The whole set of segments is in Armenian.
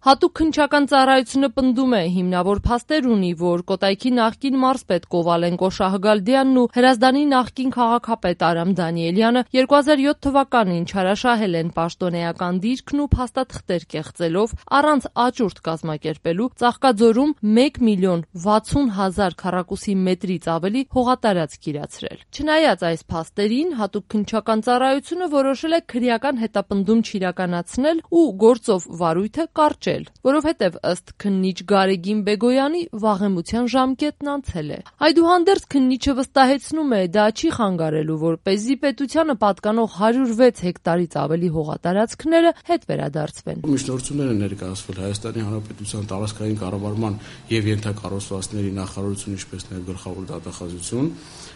Հատուկ քննչական ծառայությունը պնդում է, հիմնավոր փաստեր ունի, որ Կոտայքի նախկին մարզպետ Կովալենկո Շահգալդյանն ու Հրազդանի նախկին քաղաքապետ Արամ Դանիելյանը 2007 թվականին չարաշահել են պաշտոնեական դիրքն ու փաստաթղթեր կեղծելով առանց աճուրդ կազմակերպելու Ծաղկաձորում 1,60,000 քառակուսի մետրից ավելի հողատարածք իրացրել։ Չնայած այս փաստերին, հատուկ քննչական ծառայությունը որոշել է քրեական հետապնդում չիրականացնել ու գործով վարույթը կարճել, որովհետև ըստ քննիչ Գարեգին Բեգոյանի վաղեմության ժամկետն անցել է։ Այդուհանդերձ քննիչը վստահեցնում է, դա չի խանգարելու, որպեսզի պետությանը պատկանող 106 հեկտարից ավելի հողատարածքները հետ վերադարձվեն։ Միջնորդություններ են ներկայացվել Հայաստանի Հանրապետության տարածքային կառավարման եւ ենթակառուցվածքների նախարարություն, ինչպես նաեւ գլխավոր դատախազություն,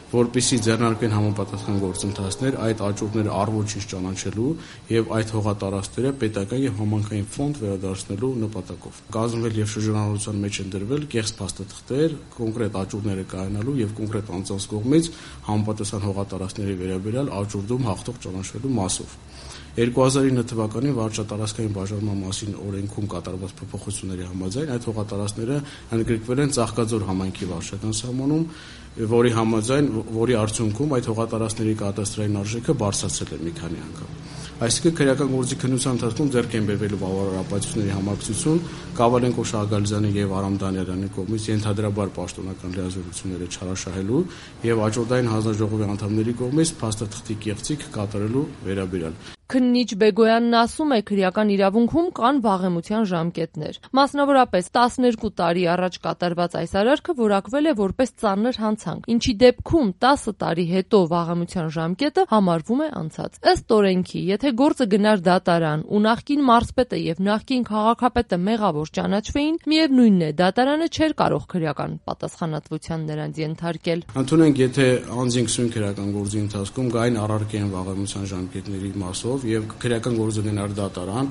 որպեսզի ձեռնարկվեն համապատասխան գործընթացներ այդ աճուրդները առ-ոչինչ ճանաչելու եւ այդ հողատարածքները պետական եւ համայնքային ֆոնդ վերադարձնելու նպատակով։ Կազմվել եւ շրջանառության մեջ են դրվել կեղծ փաստաթղթեր, կոնկրետ աճուրդները կայանալու եւ կոնկրետ անձանց կողմից համապատասխան հողատարածքների վերաբերյալ աճուրդում հաղթող ճանաչվելու մասով։ 2009 թվականին վարչատարածքային բաժանման մասին օրենքում կատարված փոփոխությունների համաձայն այդ հողատարածքները ընդգրկվել են Ծաղկաձոր համայնքի վարչական սահմանում, որի արդյունքում այդ հողատարածքների կադաստրային արժեքը բարձրացել է մի քանի անգամ։ Այսինքն քրեական գործի քննության ընթացքում ձեռք են բերվելու բավարարապետությունների համակցություն Կովալենկո Շահգալդյանի եւ Արամ Դանիելյանի կողմից ենթադրաբար պաշտոնական լիազորությունները չարաշահելու եւ աճուրդային հանձնաժողովի անդամների կողմից փաստաթղթի կեղծիք կատարելու վերաբերյալ։ Քննիչ Բեգոյանն ասում է, քրեական իրավունքում կան վաղեմության ժամկետներ։ Մասնավորապես 12 տարի առաջ կատարված այս արարքը որակվել է որպես ծանր հանցանք, ինչի դեպքում 10 տարի հետո վաղեմության ժամկետը համարվում է անցած։ Ըստ օրենքի, եթե գործը գնար դատարան ու նախկին մարզպետը եւ նախկին քաղաքապետը մեղավոր ճանաչվեին, միևնույնն է, դատարանը չէր կարող քրեական պատասխանատվության նրանց ենթարկել։ Ընդունենք, եթե անձին քսուն քրեական գործի ընթացքում գային առարկեն վաղեմության ժամկետների մասով եւ քրեական գործը գնար դատարան,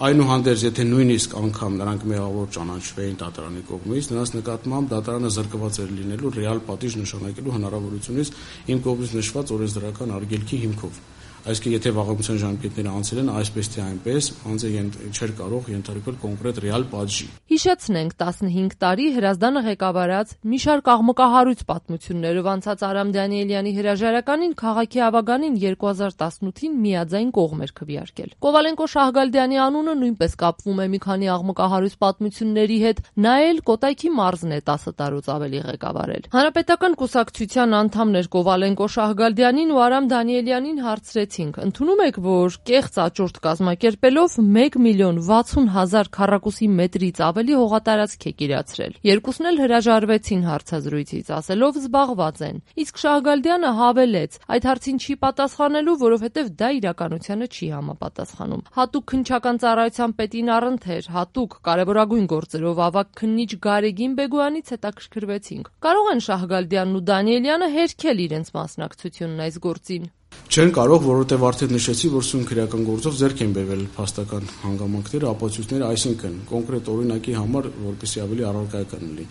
այնուհանդերձ եթե նույնիսկ անգամ նրանք մեղավոր ճանաչվեին դատարանի կողմից, նրանց նկատմամբ դատարանը զրկված էր լինելու ռեալ պատիժ նշանակելու հնարավորությունից իմ կողմից նշված օրենսդրական արգելքի հիմքով։ Այսինքն, եթե վաղեմության ժամկետները անցել են այսպես թե այնպես, անձը չէր կարող ենթարկվել կոնկրետ ռեալ պատժի։ Հիշեցնենք, 15 տարի Հրազդանը ղեկավարած մի շարք աղմկահարույց պատմություններով անցած Արամ Դանիելյանի հրաժարականին քաղաքի ավագանին 2018-ին միաձայն կողմ էր քվեարկել։ Կովալենկո Շահգալդյանի անունը նույնպես կապվում է մի քանի աղմկահարույց պատմությունների հետ, նա էլ Կոտայքի մարզն է 10 տարուց ավելի ղեկավարել։ Հանրապետական կուսակցության անդամներ Կովալենկո Շահգալդյանին ու Արամ Դանիելյանին հարցրեցին. ընդունում եք, որ կեղծ աճուրդ կազմակերպելով 1,60,000 քառակուսի մետրից ավելի հողատարածք եք իրացրել։ Երկուսն էլ հրաժարվեցին հարցազրույցից, ասելով զբաղված են։ Իսկ Շահգալդյանը հավելեց, այդ հարցին չի պատասխանելու, որովհետև դա իրականությանը չի համապատասխանում։ Հատուկ քննչական ծառայության պետին առընթեր, հատուկ կարևորագույն գործերով ավագ քննիչ Գարեգին Բեգոյանից հետաքրքրվեցինք։ Կարող են Շահգալդյանն ու Դանիելյանը հերքել իրենց մասնակցությունն այս գործին։ Չեն կարող, որովհետև արդեն նշեցի, որ սույն քրեական գործով ձեռք են բերվել փաստական հանգամանքները, ապացույցները, այսինքն կոնկրետ օրինակի համար, որպեսզի ավելի առարկայական լինի։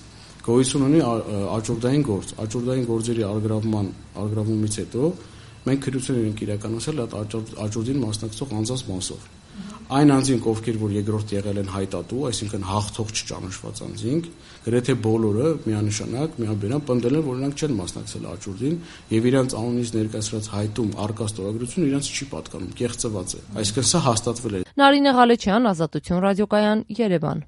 Գոյություն ունի աճուրդային գործ, աճուրդային գործերի արգրավումից հետո մենք քրություններ ենք իրականացրել այդ աճուրդին մասնակցող անձանց մասով։ Այն անձինք, ովքեր որ երկրորդ եղել են հայտատու, այսինքն հաղթող չճանաչված անձինք, գրեթե բոլորը միանշանակ, միաբերան պնդել են, որ նրանք չեն մասնակցել աճուրդին եւ իրենց անունից ներկայացրած հայտում առկա ստորագրությունը իրենց չի պատկանում, կեղծված է։ Այսինքն սա հաստատվել է։ Նարինե Ղալեչյան, Ազատություն ռադիոկայան, Երևան։